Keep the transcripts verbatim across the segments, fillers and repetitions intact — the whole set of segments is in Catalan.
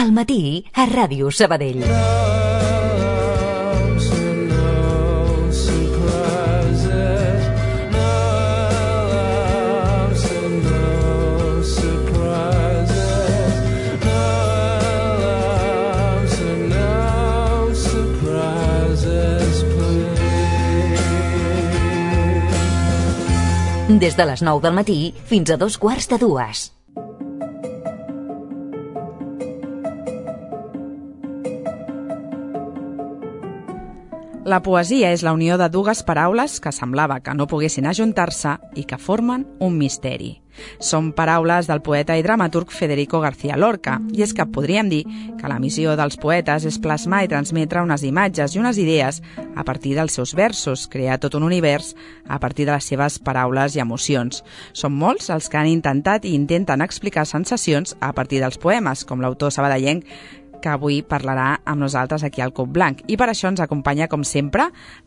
al matí a Ràdio Sabadell. Des de les nou del matí fins a dos quarts de dues. La poesia és la unió de dues paraules que semblava que no poguessin ajuntar-se i que formen un misteri. Són paraules del poeta i dramaturg Federico García Lorca, i és que podríem dir que la missió dels poetes és plasmar i transmetre unes imatges i unes idees a partir dels seus versos, crear tot un univers a partir de les seves paraules i emocions. Són molts els que han intentat i intenten explicar sensacions a partir dels poemes, com l'autor sabadellenc que avui parlarà amb nosaltres aquí al Cub Blanc. I per això ens acompanya, com sempre,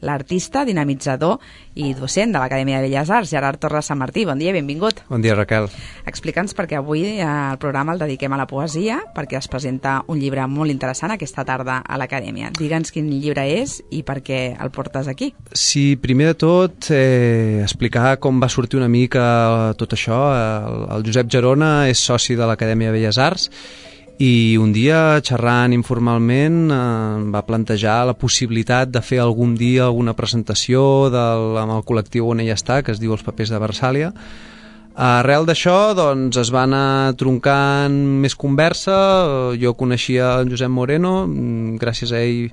l'artista, dinamitzador i docent de l'Acadèmia de Belles Arts, Gerard Torres Sant Martí. Bon dia, benvingut. Bon dia, Raquel. Explica'ns perquè avui el programa el dediquem a la poesia, perquè es presenta un llibre molt interessant aquesta tarda a l'Acadèmia. Digue'ns quin llibre és i per què el portes aquí. Sí, primer de tot, eh, explicar com va sortir una mica tot això. El, el Josep Gerona és soci de l'Acadèmia de Belles Arts i un dia, xerrant informalment, eh, va plantejar la possibilitat de fer algun dia alguna presentació del, amb el col·lectiu on ella està, que es diu Els Papers de Versàlia. Arrel d'això, doncs, es va anar troncant més conversa. Jo coneixia en Josep Moreno, gràcies a ell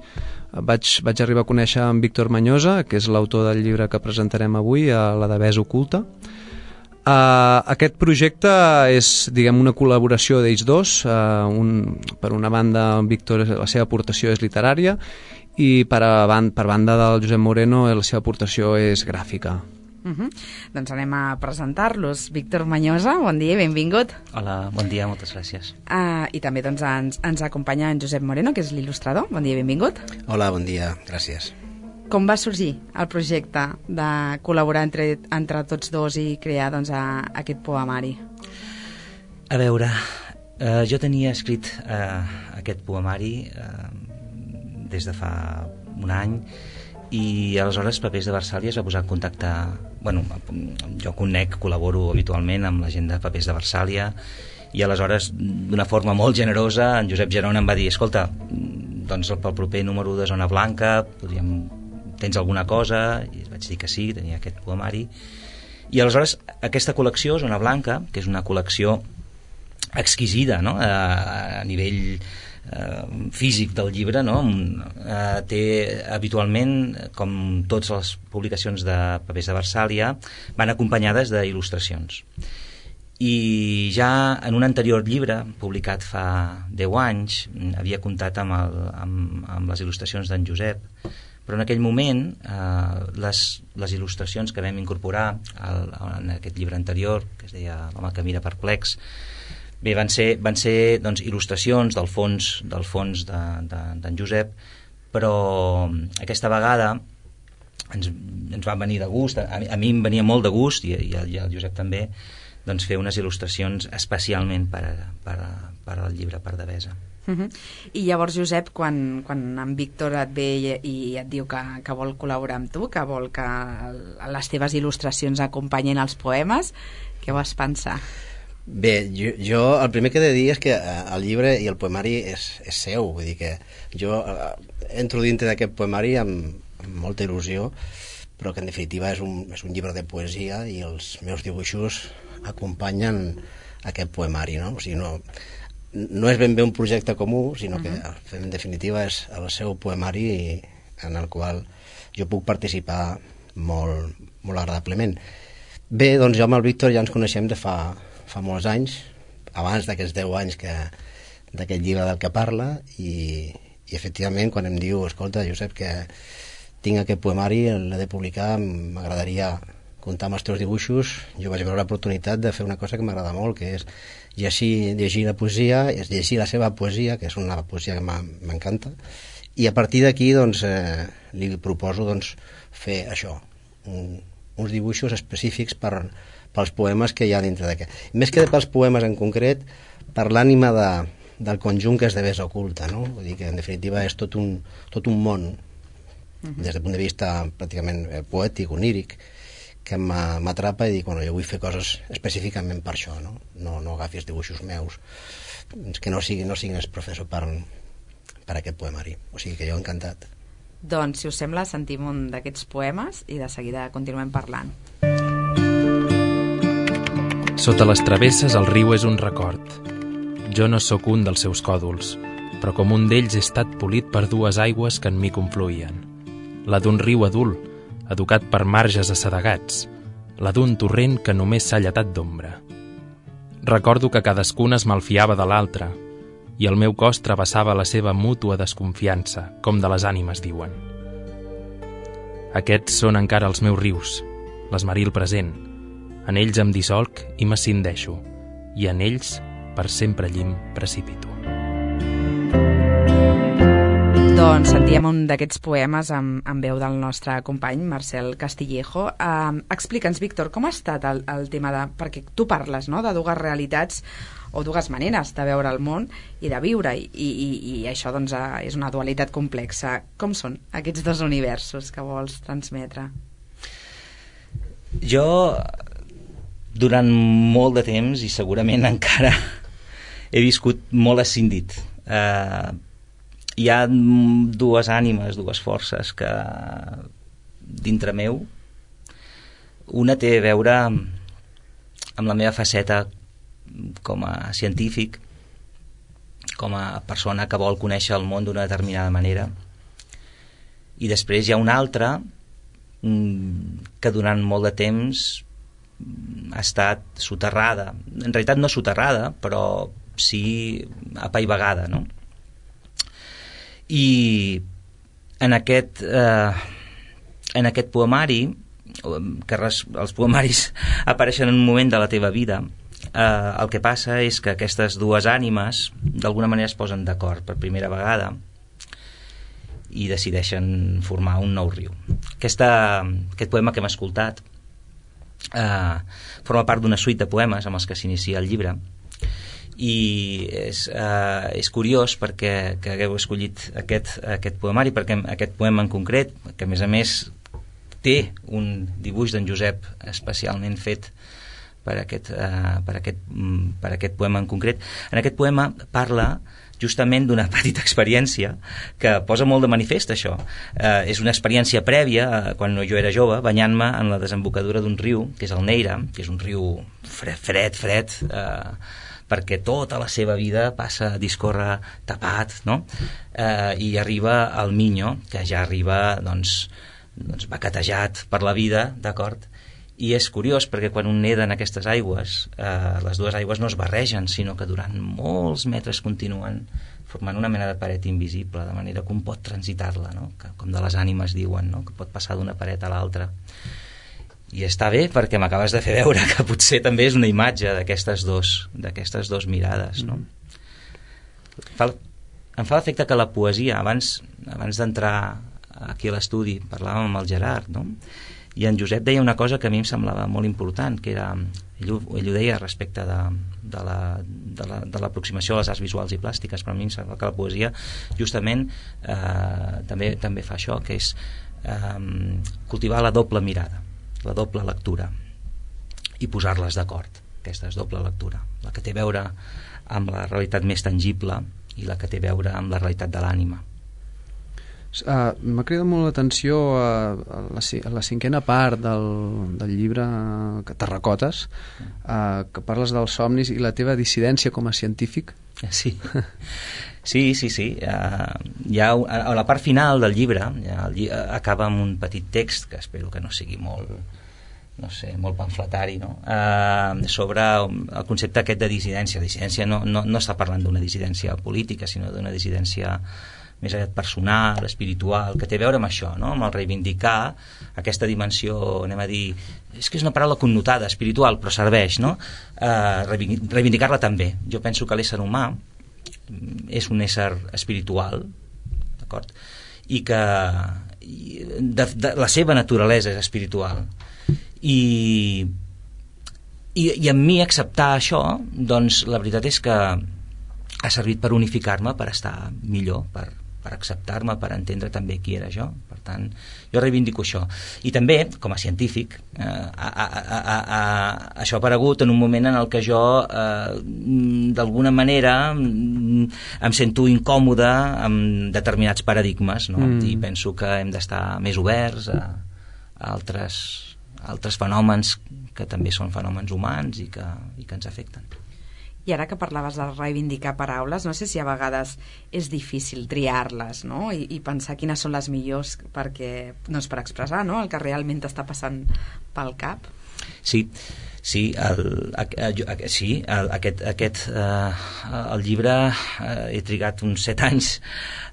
vaig, vaig arribar a conèixer en Víctor Mañosa, que és l'autor del llibre que presentarem avui, a La Devesa oculta. Uh, aquest projecte és, diguem, una col·laboració d'ells dos. Uh, un, per una banda, en Víctor, la seva aportació és literària, i per, a ban per banda del Josep Moreno la seva aportació és gràfica. Uh-huh. Doncs anem a presentar-los. Víctor Mañosa, bon dia i benvingut. Hola, bon dia, moltes gràcies. Uh, I també doncs, ens, ens acompanya en Josep Moreno, que és l'il·lustrador. Bon dia i benvingut. Hola, bon dia, gràcies. Com va sorgir el projecte de col·laborar entre, entre tots dos i crear doncs, a, aquest poemari? A veure, eh, jo tenia escrit eh, aquest poemari eh, des de fa un any, i aleshores Papers de Versàlia es va posar en contacte. Bueno, jo conec, col·laboro habitualment amb la gent de Papers de Versàlia, i aleshores, d'una forma molt generosa, en Josep Gerona em va dir: escolta, doncs pel proper número de Zona Blanca podríem... tens alguna cosa? I vaig dir que sí, tenia aquest poemari. I aleshores aquesta col·lecció, Zona Blanca, que és una col·lecció exquisida, no? a, a nivell eh, físic del llibre, no? eh, té habitualment, com totes les publicacions de Papers de Versàlia, van acompanyades d'il·lustracions. I ja en un anterior llibre publicat fa deu anys havia comptat amb, el, amb, amb les il·lustracions d'en Josep, però en aquell moment eh, les, les il·lustracions que vam incorporar al, en aquest llibre anterior, que es deia L'home que mira perplex, bé, van ser, van ser doncs, il·lustracions del fons, del fons d'en de, de, Josep, però aquesta vegada ens, ens va venir de gust, a, a mi em venia molt de gust, i, i, el, i el Josep també, doncs fer unes il·lustracions especialment per, per, per al llibre Per Devesa. Uh-huh. I llavors, Josep, quan, quan en Víctor et ve i, i et diu que, que vol col·laborar amb tu, que vol que les teves il·lustracions acompanyin els poemes, què vas pensar? Bé, jo, jo el primer que he de dir és que el llibre i el poemari és, és seu, vull dir que jo entro dintre d'aquest poemari amb, amb molta il·lusió, però que en definitiva és un, és un llibre de poesia i els meus dibuixos acompanyen aquest poemari, no? O sigui, no... no és ben bé un projecte comú, sinó que uh-huh. en definitiva és el seu poemari en el qual jo puc participar molt, molt agradablement. Bé, doncs jo amb el Víctor ja ens coneixem de fa, fa molts anys, abans d'aquests deu anys que d'aquest llibre del que parla, i, i efectivament quan em diu: escolta, Josep, que tinc aquest poemari, l'he de publicar, m'agradaria comptar amb els teus dibuixos, jo vaig veure l'oportunitat de fer una cosa que m'agrada molt, que és llegir, llegir la poesia, és llegir la seva poesia, que és una poesia que m'encanta, i a partir d'aquí doncs, eh, li proposo doncs, fer això, un, uns dibuixos específics per, pels poemes que hi ha dintre d'aquest. Més que pels poemes en concret, per l'ànima de, del conjunt que esdevé oculta, no? Vull dir que en definitiva és tot un, tot un món, uh-huh. des del punt de vista pràcticament poètic, oníric, que m'atrapa i dic, bueno, jo vull fer coses específicament per això, no? No, no agafis dibuixos meus, que no siguin, no siguin el professor per, per aquest poemari. O sigui que jo encantat. Doncs, si us sembla, sentim un d'aquests poemes i de seguida continuem parlant. Sota les travesses el riu és un record. Jo no sóc un dels seus còdols, però com un d'ells he estat polit per dues aigües que en mi confluïen. La d'un riu adult, educat per marges assedegats, la d'un torrent que només s'ha lletat d'ombra. Recordo que cadascun es malfiava de l'altre i el meu cos travessava la seva mútua desconfiança, com de les ànimes diuen. Aquests són encara els meus rius, l'esmeril present. En ells em dissolc i m'ascindeixo, i en ells per sempre llim precipito. Doncs sentíem un d'aquests poemes amb, amb veu del nostre company Marcel Castillejo. Uh, Explica'ns, Víctor, com ha estat el, el tema de... Perquè tu parles, no?, de dues realitats o dues maneres de veure el món i de viure, i, i, i això doncs, és una dualitat complexa. Com són aquests dos universos que vols transmetre? Jo, durant molt de temps, i segurament encara, he viscut molt escindit. Eh... Hi ha dues ànimes, dues forces que dintre meu. Una té a veure amb la meva faceta com a científic, com a persona que vol conèixer el món d'una determinada manera. I després hi ha una altra que durant molt de temps ha estat soterrada. En realitat no soterrada, però sí apaivagada, no? I en aquest eh, en aquest poemari, que res, els poemaris apareixen en un moment de la teva vida, eh, el que passa és que aquestes dues ànimes d'alguna manera es posen d'acord per primera vegada i decideixen formar un nou riu. Aquesta, aquest poema que hem escoltat eh, forma part d'una suite de poemes amb els que s'inicia el llibre, i és, uh, és curiós perquè que hagueu escollit aquest, aquest poemari, perquè aquest poema en concret, que a més a més té un dibuix d'en Josep especialment fet per aquest, uh, per, aquest, per aquest poema en concret. En aquest poema parla justament d'una petita experiència que posa molt de manifest això. Uh, és una experiència prèvia, uh, quan jo era jove, banyant-me en la desembocadura d'un riu, que és el Neira, que és un riu fred, fred, fred uh, perquè tota la seva vida passa a discórrer tapat, no? Eh, i arriba al Miño, que ja arriba doncs, doncs baquetejat per la vida, d'acord? I és curiós perquè quan un neda en aquestes aigües, eh, les dues aigües no es barregen, sinó que durant molts metres continuen formant una mena de paret invisible, de manera que un pot transitar-la, no? Que, com de les ànimes diuen, no? Que pot passar d'una paret a l'altra. I està bé perquè m'acabes de fer veure que potser també és una imatge d'aquestes dos, d'aquestes dos mirades, no? Fa, em fa l'efecte que la poesia, abans, abans d'entrar aquí a l'estudi, parlàvem amb el Gerard, no? I en Josep deia una cosa que a mi em semblava molt important, que era, ell ho, ell ho deia respecte de, de, la, de, la, de l'aproximació a les arts visuals i plàstiques, però a mi em sembla que la poesia justament eh, també, també fa això, que és eh, cultivar la doble mirada, la doble lectura, i posar-les d'acord, aquesta és doble lectura, la que té a veure amb la realitat més tangible i la que té a veure amb la realitat de l'ànima. Uh, m'ha cridat molt l'atenció uh, a, la, a la cinquena part del, del llibre uh, Terracotes, uh, que parles dels somnis i la teva dissidència com a científic. Sí, sí, sí, sí. Uh, hi ha, a la part final del llibre, ja, el llibre acaba amb un petit text que espero que no sigui molt, no sé, molt pamfletari, no? Uh, sobre el concepte aquest de dissidència. Dissidència no, no, no està parlant d'una dissidència política, sinó d'una dissidència més aviat personal, espiritual, que té a veure amb això, no? Amb el reivindicar aquesta dimensió, anem a dir, és que és una paraula connotada, espiritual, però serveix, no? Uh, reivindicar-la també. Jo penso que l'ésser humà és un ésser espiritual, d'acord? I que de, de, la seva naturalesa és espiritual. I, i, i en mi acceptar això, doncs la veritat és que ha servit per unificar-me, per estar millor, per, per acceptar-me, per entendre també qui era jo. Per tant, jo reivindico això. I també, com a científic, eh, a, a, a, a, a, això ha aparegut en un moment en el que jo, eh, d'alguna manera, em sento incòmode amb determinats paradigmes, no? Mm. I penso que hem d'estar més oberts a, a altres, a altres fenòmens que també són fenòmens humans i que, i que ens afecten. I ara que parlaves de reivindicar paraules, no sé si a vegades és difícil triar-les, no? I, i pensar quines són les millors perquè, doncs per expressar, no?, el que realment t'està passant pel cap. Sí, sí, el, el, el, sí el, aquest, aquest, eh, el llibre eh, he trigat uns set anys,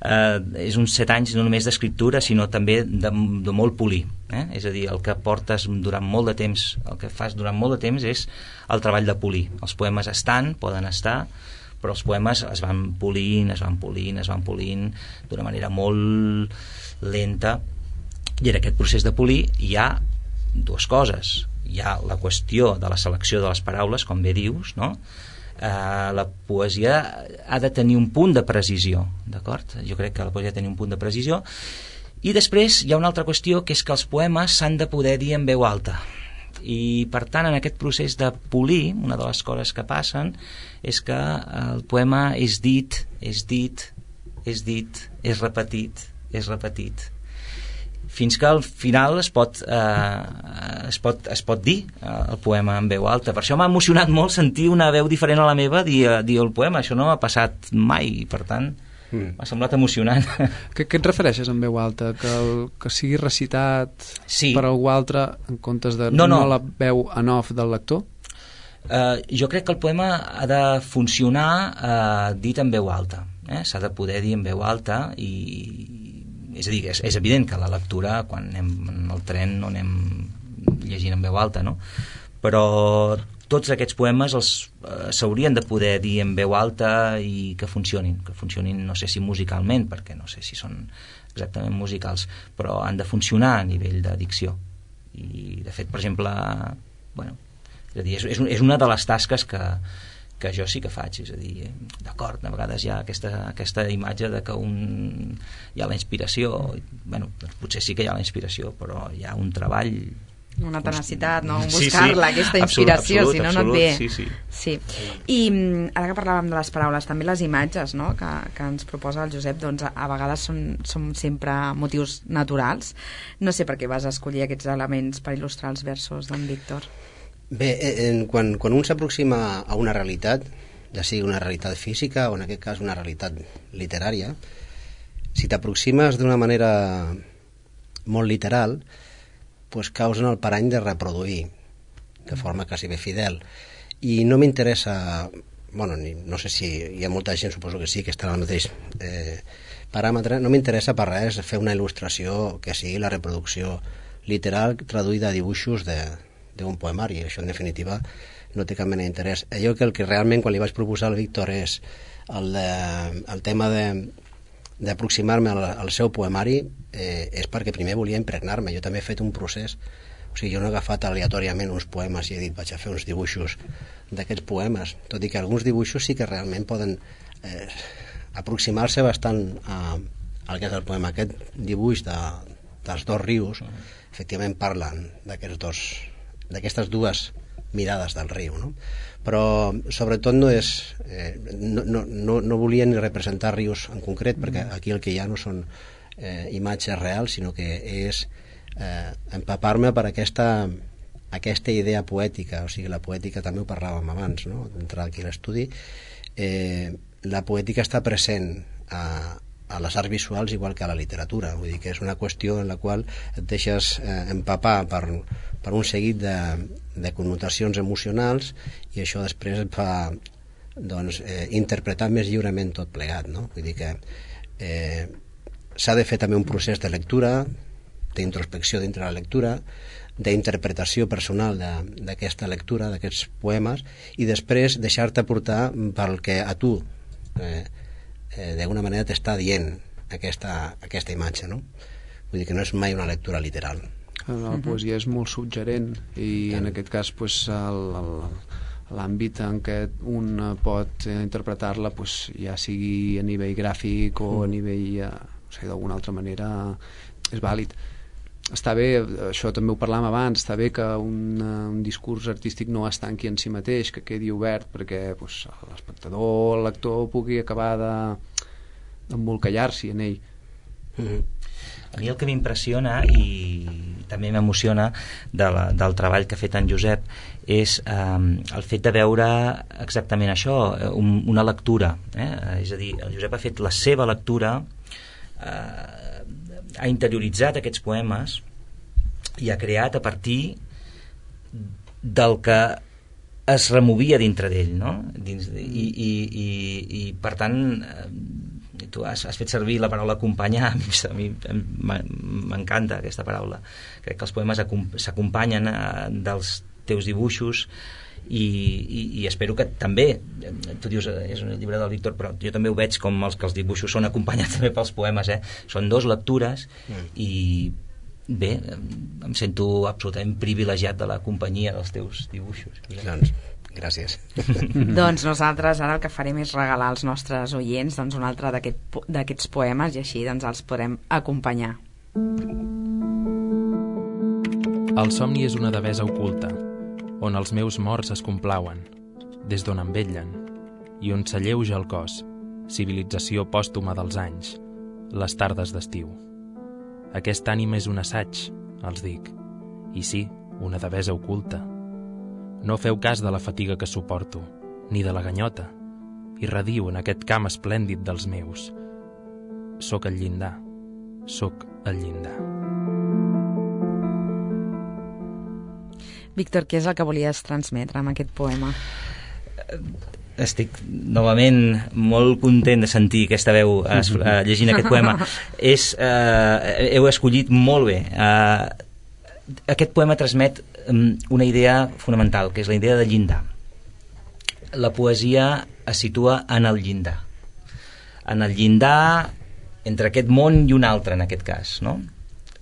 eh, és uns set anys no només d'escriptura, sinó també de, de molt polir. Eh? És a dir, el que portes durant molt de temps, el que fas durant molt de temps és el treball de polir. Els poemes estan, poden estar, però els poemes es van polint, es van polint, es van polint d'una manera molt lenta, i en aquest procés de polir hi ha dues coses. Hi ha la qüestió de la selecció de les paraules, com bé dius, no? Eh, la poesia ha de tenir un punt de precisió, d'acord? Jo crec que la poesia ha de tenir un punt de precisió. I després hi ha una altra qüestió, que és que els poemes s'han de poder dir en veu alta. I per tant, en aquest procés de polir, una de les coses que passen és que el poema és dit, és dit, és dit, és repetit, és repetit, fins que al final es pot, eh, es pot, es pot dir eh, el poema en veu alta. Per això m'ha emocionat molt sentir una veu diferent a la meva dir, dir el poema. Això no m'ha passat mai, i per tant mm. m'ha semblat emocionant. Què, què et refereixes en veu alta? Que, el, que sigui recitat sí. per algú altre en comptes de no, no. no la veu en off del lector? Uh, jo crec que el poema ha de funcionar uh, dit en veu alta. Eh? S'ha de poder dir en veu alta i... És a dir, és, és evident que la lectura, quan anem en el tren, no anem llegint en veu alta, no? Però tots aquests poemes els eh, s'haurien de poder dir en veu alta i que funcionin, que funcionin, no sé si musicalment, perquè no sé si són exactament musicals, però han de funcionar a nivell de dicció. I, de fet, per exemple, bueno, és a dir, és, és una de les tasques que que jo sí que faig, és a dir, d'acord, a vegades hi ha aquesta, aquesta imatge de que un, hi ha la inspiració, bueno, doncs potser sí que hi ha la inspiració, però hi ha un treball... Una tenacitat, no? Sí, buscar-la, sí, aquesta inspiració, absolut, si no, absolut, no et ve. Sí, sí. sí. I ara que parlàvem de les paraules, també les imatges, no?, que, que ens proposa el Josep, doncs a, a vegades són, són sempre motius naturals. No sé per què vas escollir aquests elements per il·lustrar els versos d'en Víctor. Bé, en, quan, quan un s'aproxima a una realitat, ja sigui una realitat física o en aquest cas una realitat literària, si t'aproximes d'una manera molt literal, pues caus en el parany de reproduir de forma quasi bé fidel. I no m'interessa, bueno, ni, no sé si hi ha molta gent, suposo que sí, que està al mateix eh, paràmetre, no m'interessa per res fer una il·lustració que sigui la reproducció literal traduïda a dibuixos de d'un poemari. Això en definitiva no té cap mena d'interès. Allò que el que realment quan li vaig proposar al Víctor és el, de, el tema d'aproximar-me al, al seu poemari eh, és perquè primer volia impregnar-me. Jo també he fet un procés, o sigui, jo no he agafat aleatòriament uns poemes i he dit vaig a fer uns dibuixos d'aquests poemes, tot i que alguns dibuixos sí que realment poden eh, aproximar-se bastant a, al que és el poema. Aquest dibuix de, dels dos rius efectivament parlen d'aquests dos d'aquestes dues mirades del riu, no? Però sobretot no és eh, no, no, no, no volia ni representar rius en concret, perquè aquí el que hi ha no són eh, imatges reals, sinó que és eh, empapar-me per aquesta aquesta idea poètica, o sigui, la poètica també ho parlàvem abans, no?, d'entrar aquí a l'estudi. Eh, la poètica està present a a les arts visuals igual que a la literatura, vull dir que és una qüestió en la qual et deixes eh, empapar per, per un seguit de, de connotacions emocionals i això després et fa doncs, eh, interpretar més lliurement tot plegat, no? Vull dir que eh, s'ha de fer també un procés de lectura, d'introspecció dintre la lectura, d'interpretació personal d'aquesta lectura, d'aquests poemes, i després deixar-te portar pel que a tu eh, Eh, d'alguna manera t'està dient aquesta, aquesta imatge, no? Vull dir que no és mai una lectura literal. La poesia és molt suggerent i en aquest cas pues, el, el, l'àmbit en què un pot interpretar-la, pues, ja sigui a nivell gràfic o a nivell, eh, no sé, d'alguna altra manera és vàlid. Està bé, això també ho parlàvem abans, està bé que un, un discurs artístic no es tanqui en si mateix, que quedi obert perquè pues, l'espectador, el lector pugui acabar d'embolcallar-s'hi en ell. Mm-hmm. A mi el que m'impressiona i també m'emociona de la, del treball que ha fet en Josep és eh, el fet de veure exactament això, un, una lectura, eh? És a dir, el Josep ha fet la seva lectura, eh, ha interioritzat aquests poemes i ha creat a partir del que es removia dintre d'ell, no? Dins de, i, i, i, i per tant tu has, has fet servir la paraula acompanyar. A mi m'encanta aquesta paraula. Crec que els poemes s'acompanyen dels teus dibuixos i, i, i espero que també, tu dius és un llibre del Víctor, però jo també ho veig com els que els dibuixos són acompanyats també pels poemes, eh? Són dos lectures mm. i bé, em sento absolutament privilegiat de la companyia dels teus dibuixos. Doncs gràcies. Doncs nosaltres ara el que farem és regalar als nostres oients doncs, un altre d'aquests aquest, poemes i així doncs, els podrem acompanyar. El somni és una devesa oculta, on els meus morts es complauen, des d'on em vetllen, i on s'alleuja el cos, civilització pòstuma dels anys, les tardes d'estiu. Aquest ànima és un assaig, els dic, i sí, una devesa oculta. No feu cas de la fatiga que suporto, ni de la ganyota, i rediu en aquest camp esplèndid dels meus. Soc el llindar, soc el llindar. Víctor, què és el que volies transmetre amb aquest poema? Estic novament molt content de sentir aquesta veu uh, uh, llegint aquest poema. És, uh, heu escollit molt bé. Uh, aquest poema transmet um, una idea fonamental, que és la idea de llindar. La poesia es situa en el llindar. En el llindar entre aquest món i un altre, en aquest cas, no?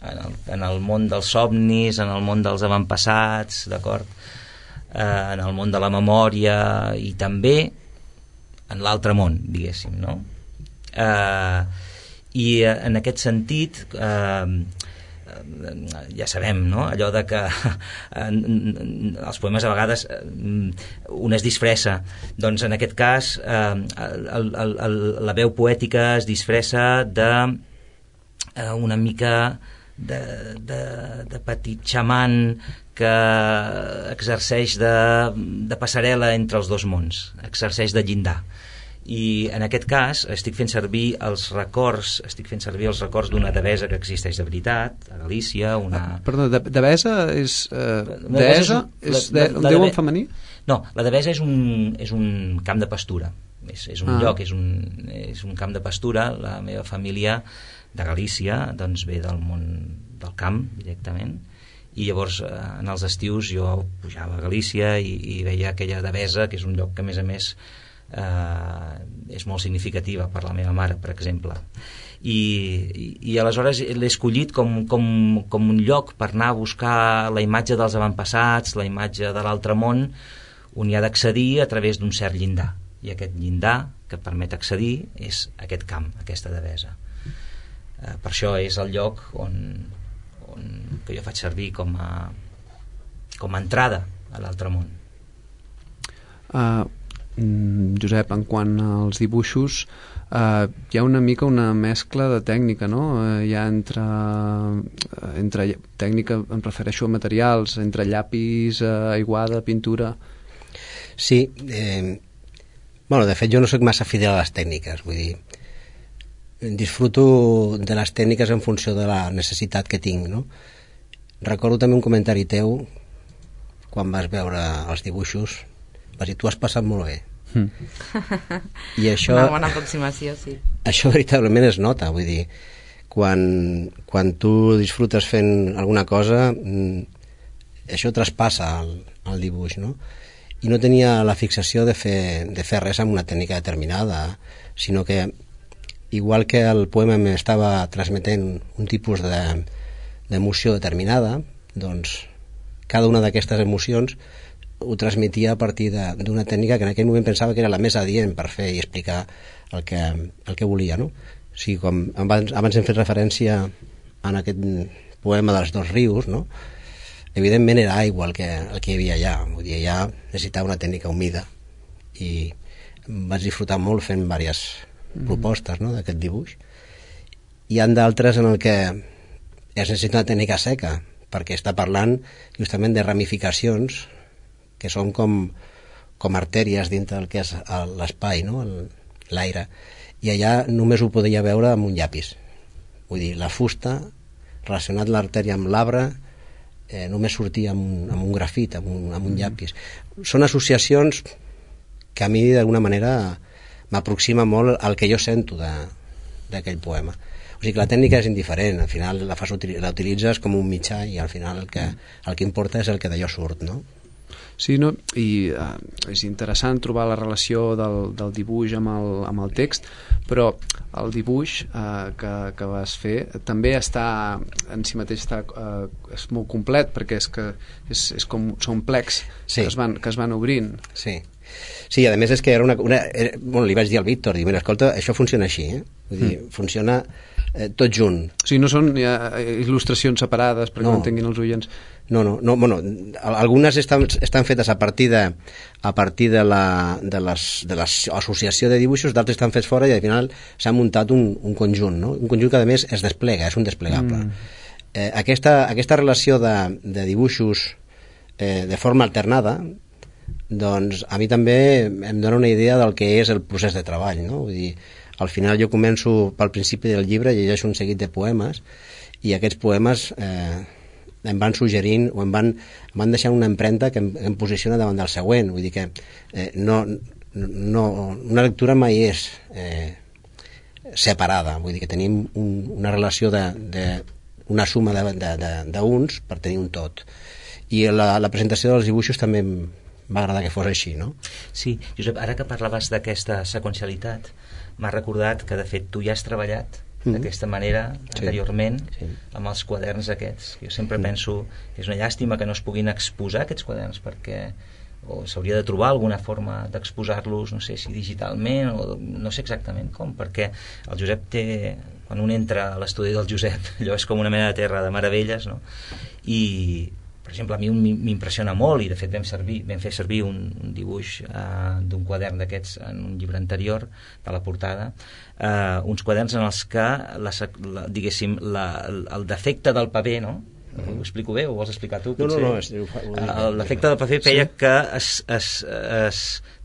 En el, en el món dels somnis, en el món dels avantpassats, d'acord? Eh, en el món de la memòria i també en l'altre món, diguéssim, no? Eh, I en aquest sentit, eh, ja sabem, no? Allò de que els poemes a vegades un es disfressa, doncs en aquest cas eh, el, el, el, la veu poètica es disfressa de eh, una mica de, de, de petit xaman que exerceix de, de passarel·la entre els dos mons, exerceix de llindar. I en aquest cas estic fent servir els records estic fent servir els records d'una devesa que existeix de veritat a Galícia, una... Ah, perdó, de, devesa és uh, deessa? És de, el déu en femení? No, la devesa és un, és un camp de pastura, és, és un ah. lloc, és un, és un camp de pastura. La meva família de Galícia doncs ve del món del camp directament, i llavors en els estius jo pujava a Galícia i, i veia aquella devesa, que és un lloc que a més a més Uh, és molt significativa per la meva mare, per exemple, i, i, i aleshores l'he escollit com, com, com un lloc per anar a buscar la imatge dels avantpassats, la imatge de l'altre món, on hi ha d'accedir a través d'un cert llindar, i aquest llindar que et permet accedir és aquest camp, aquesta devesa. Uh, per això és el lloc on, on que jo faig servir com a, com a entrada a l'altre món. Uh, Josep, en quant als dibuixos, eh, hi ha una mica una mescla de tècnica, no? Eh, hi ha entre, entre tècnica, em refereixo a materials, entre llapis, eh, aiguada, pintura... Sí, eh, bueno, de fet jo no soc massa fidel a les tècniques, vull dir, disfruto de les tècniques en funció de la necessitat que tinc, no? Recordo també un comentari teu quan vas veure els dibuixos, vas dir, tu has passat molt bé. Mm. I això, una bona aproximació, sí. Això veritablement es nota, vull dir, quan, quan tu disfrutes fent alguna cosa, això traspassa el, el dibuix, no? I no tenia la fixació de fer, de fer res amb una tècnica determinada, sinó que igual que el poema m'estava transmetent un tipus de, d'emoció determinada, doncs cada una d'aquestes emocions ho transmetia a partir d'una tècnica que en aquell moment pensava que era la més adient per fer i explicar el que, el que volia, no? O sigui, com abans, abans hem fet referència en aquest poema dels dos rius, no? Evidentment era aigua el que, el que hi havia allà, vull dir, allà necessitava una tècnica humida i vaig disfrutar molt fent diverses mm. propostes, no?, d'aquest dibuix. Hi ha d'altres en el que es necessita una tècnica seca, perquè està parlant justament de ramificacions que són com, com artèries dintre del que és l'espai, no?, l'aire, i allà només ho podia veure amb un llapis. Vull dir, la fusta, relacionat l'artèria amb l'arbre, eh, només sortia amb un, amb un grafit, amb un, amb un llapis. Són associacions que a mi d'alguna manera m'aproxima molt al que jo sento d'aquell poema. O sigui que la tècnica és indiferent, al final la, fas, la utilitzes com un mitjà i al final el que, el que importa és el que d'allò surt, no? Sí, no? I uh, és interessant trobar la relació del, del dibuix amb el, amb el text, però el dibuix uh, que, que vas fer també està en si mateix està, uh, és molt complet, perquè és que és, és com, són plecs sí. que, es van, que es van obrint. Sí. Sí, a més és que era una... una era, bueno, li vaig dir al Víctor, dic, mira, escolta, això funciona així, eh? Vull dir, mm. funciona eh, tot junt. O sigui, no són ja, il·lustracions separades perquè no. no entenguin els oients. No, no, no, bueno, algunes estan, estan fetes a partir de a partir de la de les, de l'associació de dibuixos, d'altres estan fets fora i al final s'ha muntat un, un conjunt, no? Un conjunt que a més es desplega, és un desplegable. Mm. Eh, aquesta, aquesta relació de, de dibuixos eh, de forma alternada, doncs a mi també em dona una idea del que és el procés de treball, no? Vull dir, al final jo començo pel principi del llibre, llegeixo un seguit de poemes i aquests poemes eh, em van suggerint o em van, em van deixar una empremta que em, em posiciona davant del següent. Vull dir que eh, no, no, una lectura mai és eh, separada, vull dir que tenim un, una relació de, de una suma d'uns per tenir un tot. I la, la presentació dels dibuixos també em va agradar que fos així, no? Sí, Josep, ara que parlaves d'aquesta seqüencialitat, m'ha recordat que de fet tu ja has treballat mm-hmm. d'aquesta manera sí. anteriorment sí. amb els quaderns aquests. Jo sempre mm. penso que és una llàstima que no es puguin exposar aquests quaderns perquè o s'hauria de trobar alguna forma d'exposar-los, no sé si digitalment o no sé exactament com, perquè el Josep té, quan un entra a l'estudi del Josep, allò és com una mena de terra de meravelles, no? I per exemple, a mi m'impressiona molt i de fet vam, servir, vam fer servir un, un dibuix uh, d'un quadern d'aquests en un llibre anterior de la portada, uh, uns quaderns en els que la, la, diguéssim, la, el defecte del paper, no? Uh-huh. Ho explico bé o ho vols explicar tu? Potser? No, no, no. Uh, l'efecte del paper feia sí? que es, es, es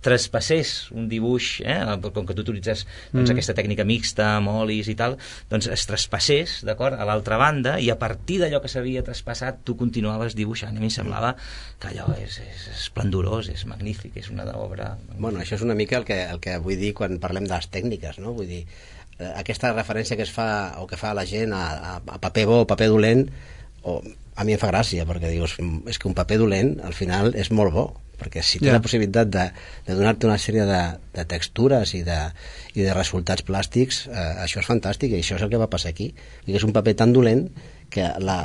traspassés un dibuix, eh? com que tu utilitzes doncs, mm. aquesta tècnica mixta amb olis i tal, doncs es traspassés, d'acord, a l'altra banda i a partir d'allò que s'havia traspassat tu continuaves dibuixant. A mi em semblava que allò és, és esplendorós, és magnífic, és una obra... Bueno, això és una mica el que, el que vull dir quan parlem de les tècniques, no? Vull dir, eh, aquesta referència que es fa o que fa la gent a, a, a paper bo o paper dolent, o a mi em fa gràcia, perquè dius, és que un paper dolent al final és molt bo, perquè si té yeah. la possibilitat de, de donar-te una sèrie de, de textures i de, i de resultats plàstics, eh, això és fantàstic i això és el que va passar aquí. I és un paper tan dolent que la,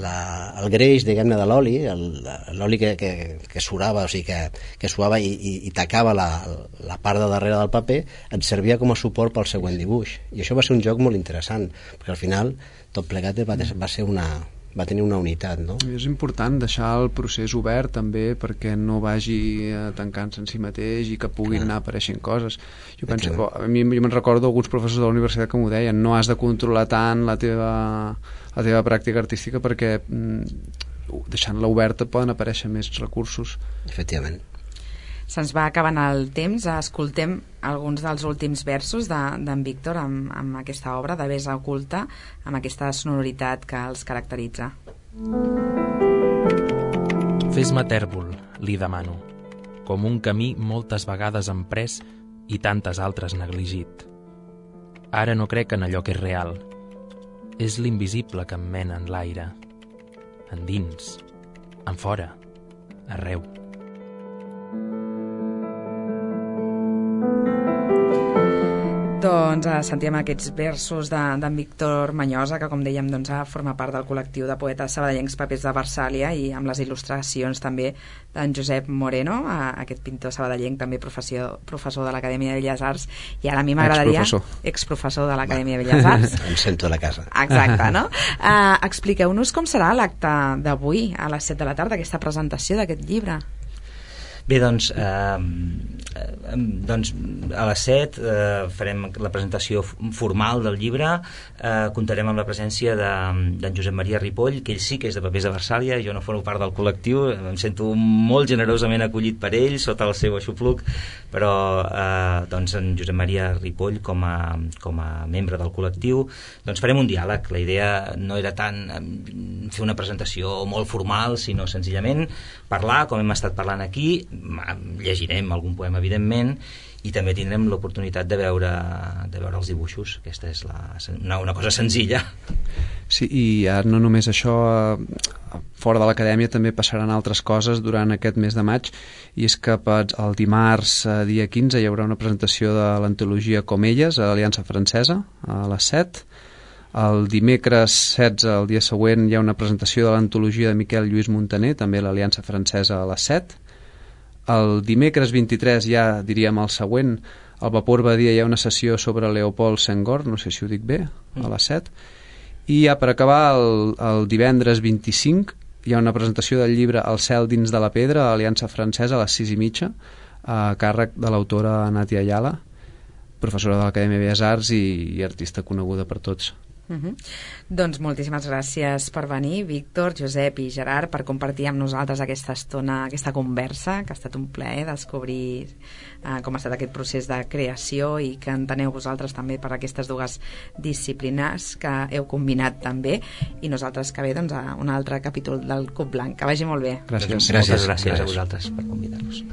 la, el greix, diguem-ne, de l'oli, l'oli que, que, que surava, o sigui, que, que suava i, i, i tacava la, la part de darrere del paper, et servia com a suport pel següent dibuix. I això va ser un joc molt interessant, perquè al final tot plegat va, va ser una... va tenir una unitat, no? És important deixar el procés obert també perquè no vagi tancant-se en si mateix i que puguin Clar. anar apareixent coses. Jo penso, oh, a mi jo me'n recordo alguns professors de la universitat que m'ho deien, no has de controlar tant la teva, la teva pràctica artística perquè mm, deixant-la oberta poden aparèixer més recursos. Efectivament. Se'ns va acabant el temps, escoltem alguns dels últims versos d'en de, Víctor amb, amb aquesta obra de Besa oculta, amb aquesta sonoritat que els caracteritza. Fes-me tèrbol, li demano, com un camí moltes vegades emprès i tantes altres negligit. Ara no crec en allò que és real. És l'invisible que em mena en l'aire, endins, en fora, arreu. Doncs eh, sentíem aquests versos d'en de, Víctor Manyosa, que com dèiem doncs, forma part del col·lectiu de poetes sabadellencs Papers de Versàlia, i amb les il·lustracions també d'en Josep Moreno, eh, aquest pintor sabadellenc, també professor, professor de l'Acadèmia de Belles Arts, i ara a mi m'agradaria... Exprofessor. Exprofessor de l'Acadèmia de Belles Arts. Em sento a la casa. Exacte, no? Eh, expliqueu-nos com serà l'acte d'avui a les set de la tarda, aquesta presentació d'aquest llibre. Bé, doncs, eh, eh, doncs a les set eh, farem la presentació formal del llibre, eh, comptarem amb la presència d'en de, Josep Maria Ripoll, que ell sí que és de Papers de Versàlia, jo no formo part del col·lectiu, em sento molt generosament acollit per ell, sota el seu aixopluc, però eh, doncs en Josep Maria Ripoll com a, com a membre del col·lectiu, doncs farem un diàleg. La idea no era tant fer una presentació molt formal, sinó senzillament parlar, com hem estat parlant aquí, llegirem algun poema evidentment, i també tindrem l'oportunitat de veure, de veure els dibuixos. Aquesta és la, una, una cosa senzilla. Sí, i ara no només això, fora de l'acadèmia també passaran altres coses durant aquest mes de maig, i és que el dimarts, dia quinze, hi haurà una presentació de l'antologia Comelles a l'Aliança Francesa a les set. El dimecres setze, el dia següent, hi ha una presentació de l'antologia de Miquel Lluís Montaner, també a l'Aliança Francesa a les set. El dimecres vint-i-tres, ja diríem el següent, al Vapor Badia hi ha una sessió sobre Leopold Senghor, no sé si ho dic bé, a les set. I ja per acabar, el, el divendres vint-i-cinc, hi ha una presentació del llibre El cel dins de la pedra a l'Aliança Francesa a les sis i mitja, a càrrec de l'autora Natia Ayala, professora de l'Acadèmia de Belles Arts i, i artista coneguda per tots. Uh -huh. Doncs moltíssimes gràcies per venir, Víctor, Josep i Gerard, per compartir amb nosaltres aquesta estona, aquesta conversa, que ha estat un plaer descobrir eh, com ha estat aquest procés de creació i que enteneu vosaltres també per aquestes dues disciplines que heu combinat també, i nosaltres que bé, doncs, a un altre capítol del Cub Blanc. Que vagi molt bé. Gràcies. Gràcies, gràcies a vosaltres per convidar-nos.